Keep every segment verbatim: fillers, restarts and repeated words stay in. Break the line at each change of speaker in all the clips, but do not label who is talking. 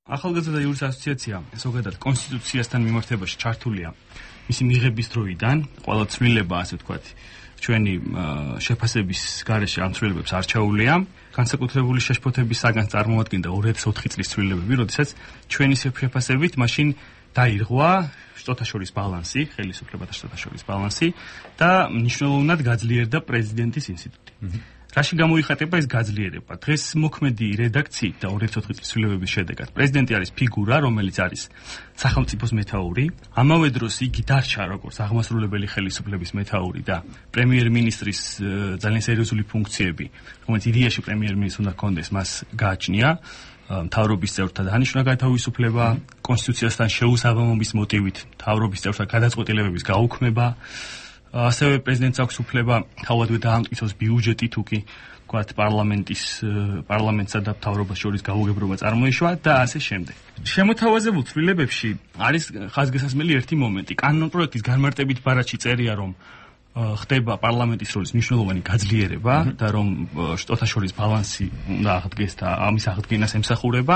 ახალგაზრდა იურის ასოციაცია ზოგადად კონსტიტუციასთან მიმართებაში ჩართულია მისი მიღების დროიდან, ყველა ცვლილება, ასე ვთქვათ, ჩვენი შეფასების გარეშე ამ ცვლილებებს არჩეულია. განსაკუთრებული შეშფოთების საგანს წარმოადგენდა ორი ათას ოთხი წლის ცვლილებები, როდესაც ჩვენი შეფასებით მაშინ დაირღვა შტოთა შორის ბალანსი, ხელისუფლებათა შტოთა შორის ბალანსი და მნიშვნელოვნად გაძლიერდა პრეზიდენტის ინსტიტუტი. რაში გამოიხატება ეს გაძლიერება? დღეს მოქმედი რედაქციით და ორი ათას ოთხი წლის ცვლილებების შედეგად პრეზიდენტი არის ფიგურა, რომელიც არის სახელმწიფოს მეთაური, ამავე დროს იგი დარჩა როგორც აღმასრულებელი ხელისუფლების მეთაური და პრემიერ-მინისტრის ძალიან სერიოზული ფუნქციები, რომელიც იდეაში პრემიერ-მინისტრს უნდა ჰქონდეს, მას გააჩნია. მთავრობის წევრთა დანიშვნა გათავისუფლება, კონსტიტუციასთან შეუსაბამობის მოტივით მთავრობის წევრთა გადაწყვეტილებების გაუქმება. ასევე პრეზიდენტს აქვს უფლება თავადვე დაამტკიცოს ბიუჯეტი თუ კი ვთქვათ პარლამენტის პარლამენტსა და მთავრობას შორის გაუგებრობა წარმოიშვა და ასე შემდეგ. შემოთავაზებულ ცვლილებებში არის ხაზგასასმელი ერთი მომენტი. კანონპროექტის განმარტებით ბარათში წერია, რომ ხდება პარლამენტის როლის მნიშვნელოვანი გაძლიერება და რომ შტოთა შორის ბალანსი უნდა აღდგეს და ამის აღდგენას ემსახურება,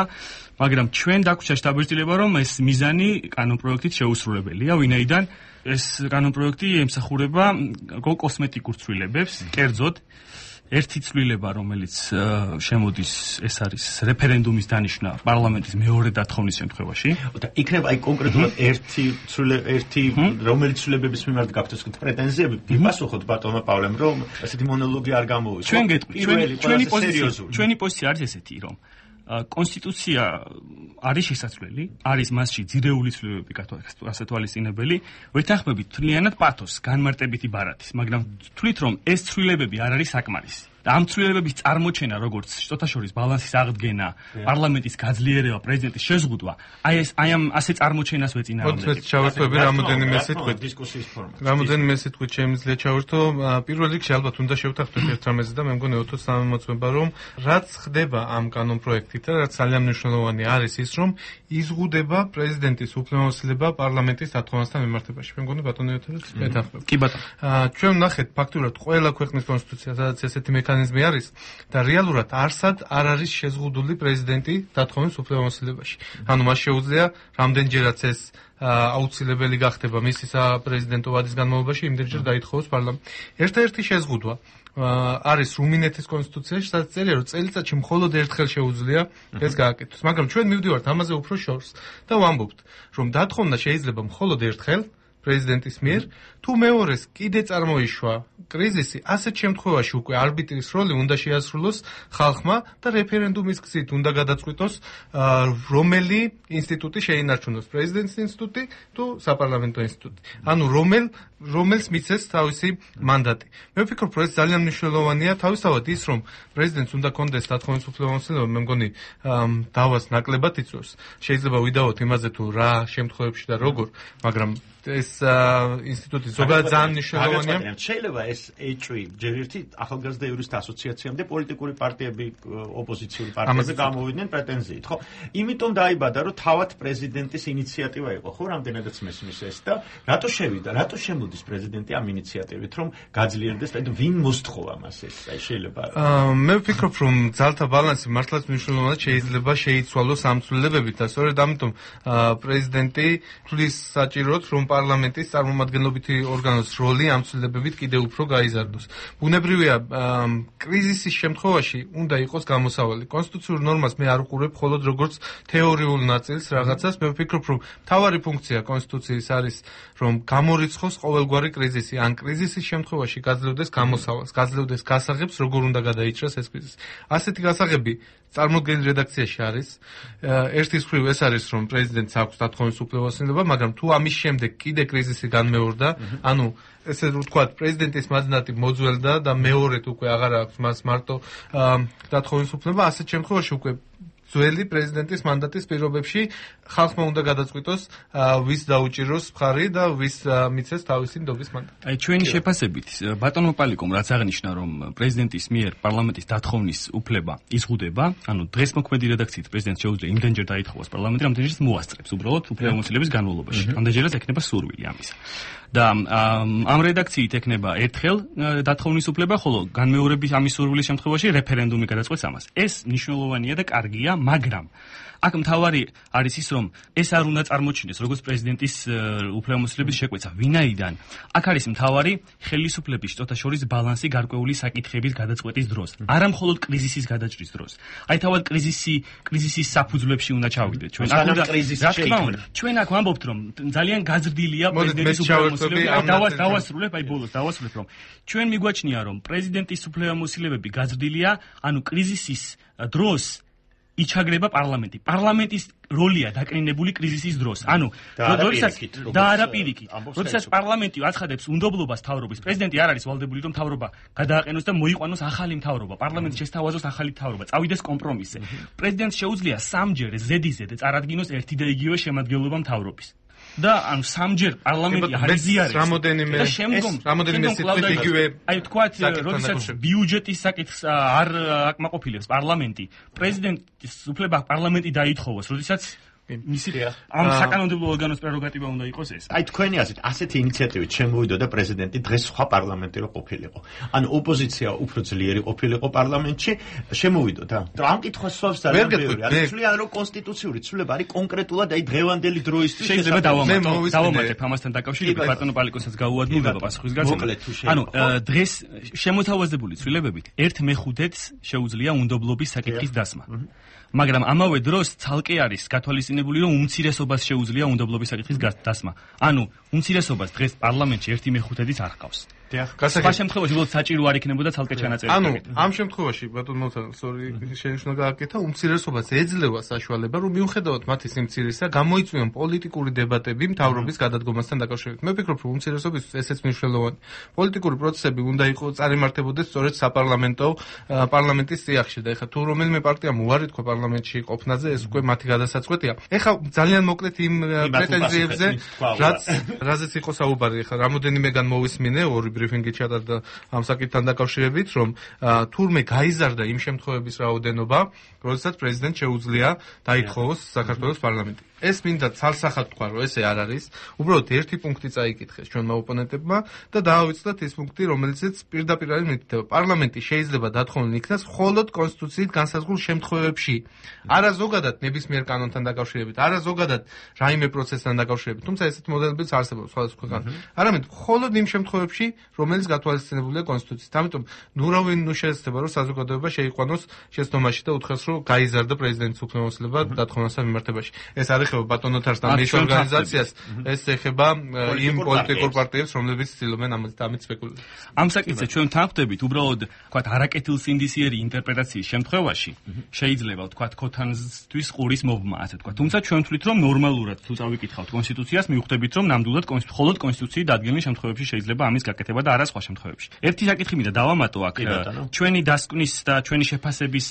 მაგრამ ჩვენ დაგვჭირდა შტაბ-ბიჭდილება, რომ ეს მიზანი კანონპროექტით შეუსრულებელია, ვინაიდან ეს კანონპროექტი ემსახურება კოსმეტიკურ ცვლილებებს, კერძოდ ერთი ცვლილება, რომელიც შემოდის, ეს არის რეფერენდუმის დანიშვნა პარლამენტის მეორე დათხოვნის შემთხვევაში.
და იქნება აი კონკრეტულად ერთი ერთი რომელიც ცვლილებების მიმართ გაქვთ ეს პრეტენზიები, გიპასუხოთ ბატონმა პავლემ, რომ ასეთი მონოლოგი არ გამოვისვა.
ჩვენ გეტყვით, ჩვენი პოზიცია, ჩვენი პოზიცია არის ესეთი, რომ კონსტიტუცია არის შესაძლებელი, არის მასში ძირეული ცვლილებები ასე თვალისწინებელი, ვეთანხმებით თლიანად პათოს, განმარტებითი ბარათის, მაგრამ თვლით, რომ ეს ცვლილებები არ არის საკმარისი. და ამ ცვლილებების წარმოჩენა, როგორც შტოთა შორის ბალანსის აღდგენა, პარლამენტის გაძლიერება, პრეზიდენტის შეზღუდვა, აი ეს აი ამ ასე წარმოჩენას ვეწინააღმდეგებთ.
მოდი ჩავერთვები რამოდენიმე სიტყვით
დისკუსიის ფორმატში.
რამოდენიმე სიტყვით შემიძლია ჩავერთო. პირველ რიგში ალბათ უნდა შევთანხმდეთ ერთ რამეზე და მე მგონი ოთოს სამომოწმება, რომ რაც ხდება ამ კანონპროექტით და რაც ძალიან მნიშვნელოვანი არის ის, რომ იზღუდება პრეზიდენტის უფლებამოსილება პარლამენტის დათხოვასთან მიმართებაში. მე მგონი ბატონი ოთოს მეთანხმება.
კი ბატონო.
ჩვენ ვნახეთ ფაქტურად ყველა ქვეყნის კონსტიტუცია, სადაც ესეთი მექანიზმი არის და რეალურად არსად არ არის შეზღუდული პრეზიდენტი დათხოვნის უფლებამოსილებაში. ანუ მას შეუძლია რამდენჯერაც ეს აუცილებელი გახდება მისი საპრეზიდენტო ვადის განმავლობაში იმდენჯერ დაითხოვოს პარლამენტი. ერთ-ერთი შეზღუდვა არის რუმინეთის კონსტიტუციაში, სადაც წერია, რომ წელიწადში მხოლოდ ერთხელ შეუძლია ეს გააკეთოს. მაგრამ ჩვენ მივდივართ ამაზე უფრო შორს და ვამბობთ, რომ დათხოვნა შეიძლება მხოლოდ ერთხელ პრეზიდენტის მიერ, თუ მეორეს კიდე წარმოიშვა კრიზისი, ასეთ შემთხვევაში უკვე არბიტრის როლი უნდა შეასრულოს ხალხმა და რეფერენდუმის გზით უნდა გადაწყვიტოს, რომელი ინსტიტუტი შეინარჩუნოს, პრეზიდენტის ინსტიტუტი თუ საპარლამენტო ინსტიტუტი. ანუ რომელ რომელს მიცეს თავისი მანდატი. მე ვფიქრობ, რომ ეს ძალიან მნიშვნელოვანია, თავისთავად ის, რომ პრეზიდენტს უნდა კონდეს დათხოვნის უფლებამოსილება, მე მგონი დავას ნაკლებად იწვევს. შეიძლება ვიდაოთ იმაზე თუ რა შემთხვევებში და როგორ, მაგრამ ეს ინსტიტუტი ზოგადად ძალიან მნიშვნელოვანია.
შეიძლება ეს ეჭვი ჯერ ერთი ახალგაზრდა იურისტთა ასოციაციამ და პოლიტიკური პარტიები, ოპოზიციური პარტიები გამოვიდნენ პრეტენზიით, ხო? იმიტომ დაიბადა, რომ თავად პრეზიდენტის ინიციატივა იყო, ხო, რამდენადაც მესმის ეს და რატო შევიდა, რატო შემოდის პრეზიდენტი ამ ინიციატივით, რომ გაძლიერდეს, და ვინ მოსთხოვა მას ეს? აი შეიძლება.
მე ვფიქრობ, რომ ძალთა ბალანსი მართლაც მნიშვნელოვნად შეიძლება შეიცვალოს ამ ცვლილებებით და სწორედ ამიტომ პრეზიდენტი თulis საჭიროდ, რომ პარლამენტის წარმომადგენლობითი ორგანოს როლი ამ ცვლილებებით კიდევ უფრო გაიზარდოს. ბუნებრივია, კრიზისის შემთხვევაში უნდა იყოს გამოსავალი. კონსტიტუციურ ნორმას მე არ უყურებ მხოლოდ როგორც თეორიულ ნაწილს რაღაცას. მე ვფიქრობ, რომ მთავარი ფუნქცია კონსტიტუციის არის, რომ გამორიცხოს ყოველგვარი კრიზისი. ან კრიზისის შემთხვევაში გაძლევდეს გამოსავალს, გაძლევდეს გასაღებს, როგორ უნდა გადაიჭრას ეს კრიზისი. ასეთი გასაღები წარმოქმნილ რედაქციაში არის. ერთის მხრივ ეს არის, რომ პრეზიდენტს აქვს დათხოვნის უფლებამოსილება, მაგრამ თუ ამის შემდეგ კიდე კრიზისი განმეორდა, ანუ ესე ვთქვათ, პრეზიდენტის მანდატი მოძველდა და მეორედ უკვე აღარ აქვს მას მარტო დათხოვნის უფლება, ასეთ შემთხვევაში უკვე ძველი პრეზიდენტის მანდატის პირობებში ხალხმა უნდა გადაწყვიტოს, ვის დაუჭიროს მხარი და ვის მიცეს თავისი ნდობის მანდატი.
აი ჩვენი შეფასებით, ბატონო პალიკომ რაც აღნიშნა, რომ პრეზიდენტის მიერ პარლამენტის დათხოვნის უფლება იზღუდება, ანუ დღეს მოქმედი რედაქციით პრეზიდენტს შეუძლია იმდენჯერ დაითხოვოს პარლამენტი, რამდენჯერაც მოასწრებს უბრალოდ უფლებამოსილების განმავლობაში. ამდენჯერაც ექნება სურვილი ამისა. და ამ რედაქციით ექნება ერთხელ დათხოვნის უფლება, ხოლო განმეორების ამის სურვილის შემთხვევაში რეფერენდუმი გადაწყვეტს ამას. ეს მნიშვნელოვანია და კარგია, მაგრამ აქ მთავარი არის ის, რომ ეს არ უნდა წარმოჩინდეს როგორც პრეზიდენტის უფლებამოსილების შეკვეცა. ვინაიდან აქ არის მთავარი ხელისუფლების შტოთა შორის ბალანსი გარკვეული საკითხების გადაწყვეტის დროს. არა მხოლოდ კრიზისის გადაჭრის დროს. აი თავად კრიზისი კრიზისის საფუძვლებში უნდა ჩავიდეთ. ჩვენ აქ უნდა რა თქმა უნდა, ჩვენ აქ ვამბობთ, რომ ძალიან გაზრდილია პრეზიდენტის უფლებამოსილებები. აი დავასრულებ, აი ბოლოს დავასრულებ, რომ ჩვენ მიგვაჩნია, რომ პრეზიდენტის უფლებამოსილებები გაზრდილია, ანუ კრიზისის დროს იჩაგრება პარლამენტი. პარლამენტის როლია დაკნინებული კრიზისის დროს. ანუ როდესაც და არა პირიქით. როდესაც პარლამენტი აცხადებს უნდობლობას მთავრობის, პრეზიდენტი არ არის ვალდებული, რომ მთავრობა გადააყენოს და მოიყვანოს ახალი მთავრობა. პარლამენტი შესთავაზოს ახალი მთავრობა, წავიდეს კომპრომისზე. პრეზიდენტს შეუძლია სამჯერ ზედიზედ წარადგინოს ერთი და იგივე შემადგენლობა მთავრობის. და ანუ სამჯერ პარლამენტი არიზიარებს
რამოდენიმე რამოდენიმე სიტყვით იგივე
აი თქვათ როდესაც ბიუჯეტის საკითხს არ აკმაყოფილებს პარლამენტი პრეზიდენტის უფლება პარლამენტი დაითხოვოს როდესაც მისი ამ საკანონმდებლო ორგანოს პრეროგატივა უნდა იყოს ეს.
აი თქვენი აზრით, ასეთი ინიციატივით შემოვიდოდა პრეზიდენტი დღეს სხვა პარლამენტი რო ყოფილიყო. ანუ ოპოზიცია უფრო ძლიერი ყოფილიყო პარლამენტში, შემოვიდოდა. ამ კითხვას სვავს ძალიან ბევრი. არის ცვლიან რომ კონსტიტუციური ცვლილება არის კონკრეტულად აი დღევანდელი დროისთვის
შეიძლება დავამატო. დავამატებ ამასთან დაკავშირებით ბატონო პალიკოსაც გაუადვილდება პასუხისგებლობა. ანუ დღეს შემოთავაზებული ცვლილებებით ერთ მეხუთედს შეუძლია უნდობლობის საკითხის დასმა. მაგრამ ამავე დროს ცალკე არის გათვალისწინებული, რომ უმცირესობას შეუძლია უნდობლობის საკითხის დასმა. ანუ უმცირესობას დღეს პარლამენტში ერთი მეხუთედიც არ ჰყავს. სხვა შემთხვევაში უბრალოდ საჭირო არ იქნებოდა ცალკე ჩანაწერი.
ანუ ამ შემთხვევაში ბატონო მოთანა, სორი, შენიშნა გააკეთა, უმცირესობას ეძლევა საშუალება, რომ მიუხედავად მათი სიმცირისა, გამოიწვიონ პოლიტიკური დებატები მთავრობის გადადგომასთან დაკავშირებით. მე ვფიქრობ, რომ უმცირესობისთვის ესეც მნიშვნელოვანი. პოლიტიკური პროცესები უნდა იყოს წარიმართებოდეს სწორედ საპარლამენტო პარლამენტის წიაღში და ეხლა თუ რომელიმე პარტიამ უარი თქვა პარლამენტში ყოფნაზე, ეს უკვე მათი გადასაწყვეტია. ეხლა ძალიან მოკლედ იმ პრეტენზიებზე, რაც რაზეც იყო საუბარი, ეხლა რამოდენიმეგან მოვისმინე ორი ბრიფინგი ჩატარდა ამ საკითხთან დაკავშირებით, რომ თურმე გაიზარდა იმ შემთხვევების რაოდენობა, როდესაც პრეზიდენტს შეუძლია დაითხოვოს საქართველოს პარლამენტი. ეს მინდა ცალსახად თქვა, რომ ესე არ არის. უბრალოდ ერთი პუნქტი წაიკითხეს ჩვენმა ოპონენტებმა და დაავიწყდათ ის პუნქტი, რომელიც პირდაპირ არის მითითება. პარლამენტი შეიძლება დათხოვნილ იქნას მხოლოდ კონსტიტუციით განსაზღვრულ შემთხვევებში. არა ზოგადად ნებისმიერ კანონთან დაკავშირებით, არა ზოგადად რაიმე პროცესთან დაკავშირებით. თუმცა ესეთი მოდელებიც არსებობს სხვადასხვა ქვეყანაში. არამედ მხოლოდ იმ შემთხვევებში, რომელიც გათვალისწინებულია კონსტიტუციით. ამიტომ ნუ რავინ ნუ შეიძლება რომ საზოგადოება შეიყვანოს შეცდომაში და უთხრას, რომ გაიზარდა პრეზიდენტის უფლებამოსილება დათხოვნასთან მიმართებაში. ეს არის ეხება ბატონოთარსთან მის ორგანიზაციას, ეს ეხება იმ პოლიტიკურ პარტიებს, რომლებიც ცდილობენ ამით სპეკულირებას.
ამ საკითხზე ჩვენ თანხმდებით, უბრალოდ თქვათ არაკეთილსინდისიერი ინტერპრეტაციის შემთხვევაში შეიძლება თქვათ ქოთანისთვის ყურის მობმა, ასე თქვათ. თუმცა ჩვენ ვთვლით, რომ ნორმალურად თუ წავიკითხავთ კონსტიტუციას, მივხვდებით, რომ ნამდვილად მხოლოდ კონსტიტუციით დადგენილ შემთხვევებში შეიძლება ამის გაკეთება და არა სხვა შემთხვევებში. ერთი საკითხი მინდა დავამატო აქ, ჩვენი დასკვნის და ჩვენი შეფასების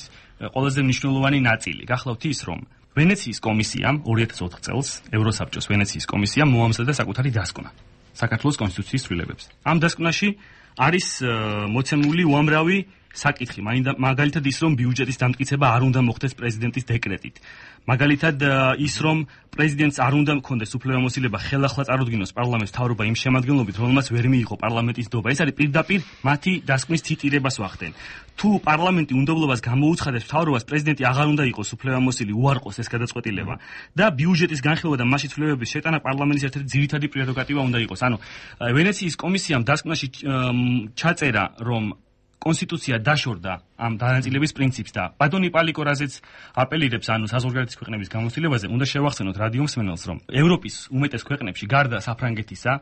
ყველაზე მნიშვნელოვანი ნაწილი. გახლავთ ის, რომ ვენეციის კომისიამ ორი ათას ოთხ წელს ევროსაბჭოს ვენეციის კომისიამ მოამზადა საკუთარი დასკვნა საქართველოს კონსტიტუციის ცვლილებებს. ამ დასკვნაში არის მოცემული უამრავი საკითხი, მაგალითად ის, რომ ბიუჯეტის დამტკიცება არ უნდა მოხდეს პრეზიდენტის დეკრეტით. მაგალითად ის, რომ პრეზიდენტს არ უნდა მქონდეს უფლებამოსილება ხელახლა წარუდგინოს პარლამენტს მთავრობა იმ შემადგენლობით, რომელმაც ვერ მიიღო პარლამენტის დობა. ეს არის პირდაპირ მათი დასკვნის ციტირებას ვახდენ. თუ პარლამენტი უნდობლობას გამოუცხადებს მთავრობას, პრეზიდენტი აღარ უნდა იყოს უფლებამოსილი, უარყოს ეს გადაწყვეტილება და ბიუჯეტის განხილვა და მასში ცვლილებების შეტანა პარლამენტის ერთ-ერთი ძირითადი პრეროგატივა უნდა იყოს. ანუ ვენეციის კომისიამ დასკვნაში ჩაწერა, რომ კონსტიტუცია დაშორდა ამ დანაწილების პრინციპს და ბატონი პალიკო რაზეც აპელირებს ანუ საზღვარგარეთის ქვეყნების გამოცდილებაზე, უნდა შევახსენოთ რადიო მსმენელს, რომ ევროპის უმეტეს ქვეყნებში გარდა საფრანგეთისა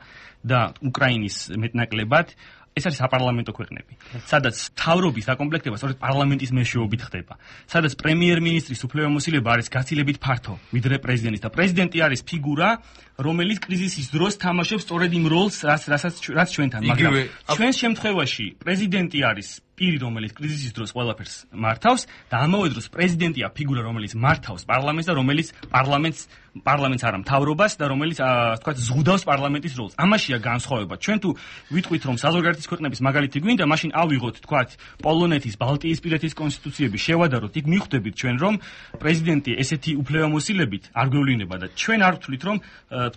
და უკრაინის მეტნაკლებად ეს არის საპარლამენტო ქვეყნები, სადაც მთავრობის დაკომპლექტება სწორედ პარლამენტის მეშვეობით ხდება, სადაც პრემიერ-მინისტრის უფლებამოსილება არის გაცილებით ფართო, ვიდრე პრეზიდენტის და პრეზიდენტი არის ფიგურა, რომელიც კრიზისის დროს თამაშობს სწორედ იმ როლს, რასაც რაც ჩვენთან, მაგრამ ჩვენს შემთხვევაში პრეზიდენტი არის პირი, რომელიც კრიზისის დროს ყველაფერს მართავს და ამავე დროს პრეზიდენტია ფიგურა, რომელიც მართავს პარლამენტს და რომელიც პარლამენტს პარლამენტს არა მთავრობას და რომელიც თქვა ზღუდავს პარლამენტის როლს. ამაშია განსხვავება. ჩვენ თუ ვიტყვით რომ საზღვარგარეთის ქვეყნების მაგალითი გვინდა, მაშინ ავიღოთ თქვა პოლონეთის, ბალტიისპირეთის კონსტიტუციები, შევადაროთ, იქ მიხვდებით ჩვენ რომ პრეზიდენტი ესეთი უფლებამოსილებით არ გვევლინება და ჩვენ არ ვთვლით რომ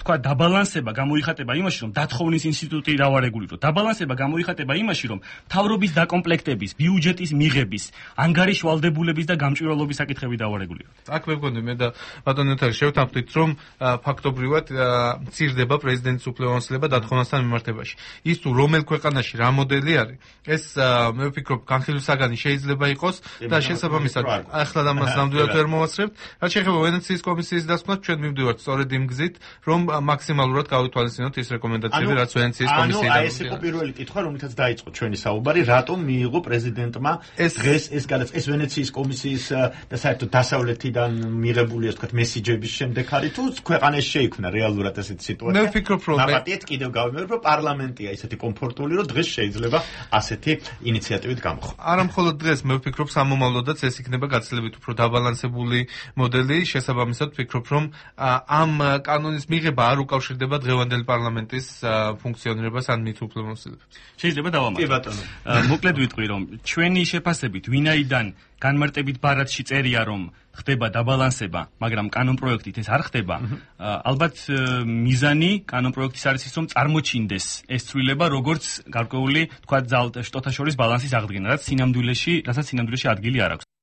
თქვა დაბალანსება გამოიხატება იმაში რომ დათხოვნის ინსტიტუტი დავარეგულიროთ. დაბალანსება გამოიხატება იმაში რომ მთავრობის დაკომპლექტების, ბიუჯეტის მიღების, ანგარიშ ვალდებულების და გამჭვირვალობის საკითხები დავარეგულიროთ.
აქ მე მგონი მე და ბატონო ნოთარი შევთანხმდით რომ ფაქტობრივად მცირდება პრეზიდენტის უფლებამოსილება დათხოვნასთან მიმართებაში. ის თუ რომელ ქვეყანაში რა მოდელი არის, ეს მე ვფიქრობ განხილვისაგანი შეიძლება იყოს და შესაბამისად ახლა ამას ნამდვილად ვერ მოვასწრებთ. რაც შეეხება ვენეციის კომისიის დასკვნას, ჩვენ მივდივართ სწორედ იმ გზით, რომ მაქსიმალურად გავითვალისწინოთ ის რეკომენდაციები, რაც ვენეციის კომისიიდან.
ანუ აი ეს იყო პირველი კითხვა, რომლითაც დაიწყო ჩვენი საუბარი, რატომ მიიღო პრეზიდენტმა დღეს ეს გადაც ეს ვენეციის კომისიის და საერთოდ დასავლეთიდან მიღებული ასე ვთქვათ მესიჯების შემდეგ არის თუ ქვეყანაში შეიქმნა რეალურად ესეთი სიტუაცია.
მე ვფიქრობ რომ
ნაპატიეთ კიდევ გავიმეორებ რომ პარლამენტია ისეთი კომფორტული რომ დღეს შეიძლება ასეთი ინიციატივით გამოხო.
არა მხოლოდ დღეს მე ვფიქრობ სამომავლოდაც ეს იქნება გაცილებით უფრო დაბალანსებული მოდელი. შესაბამისად ვფიქრობ რომ ამ კანონის მიღება არ უკავშირდება დღევანდელი პარლამენტის ფუნქციონირებას ან მით უფლებამოსილებებს.
შეიძლება დავამატო.
კი ბატონო.
მოკლედ ვიტყვი რომ ჩვენი შეფასებით ვინაიდან განმარტებით ბარათში წერია რომ ხდება დაბალანსება, მაგრამ კანონპროექტით ეს არ ხდება. ალბათ მიზანი კანონპროექტის არის ის რომ წარმოჩინდეს ეს ცვლილება როგორც გარკვეული თქვა შტოთა შორის ბალანსის აღდგენა, რაც სინამდვილეში, რასაც სინამდვილეში ადგილი არ აქვს.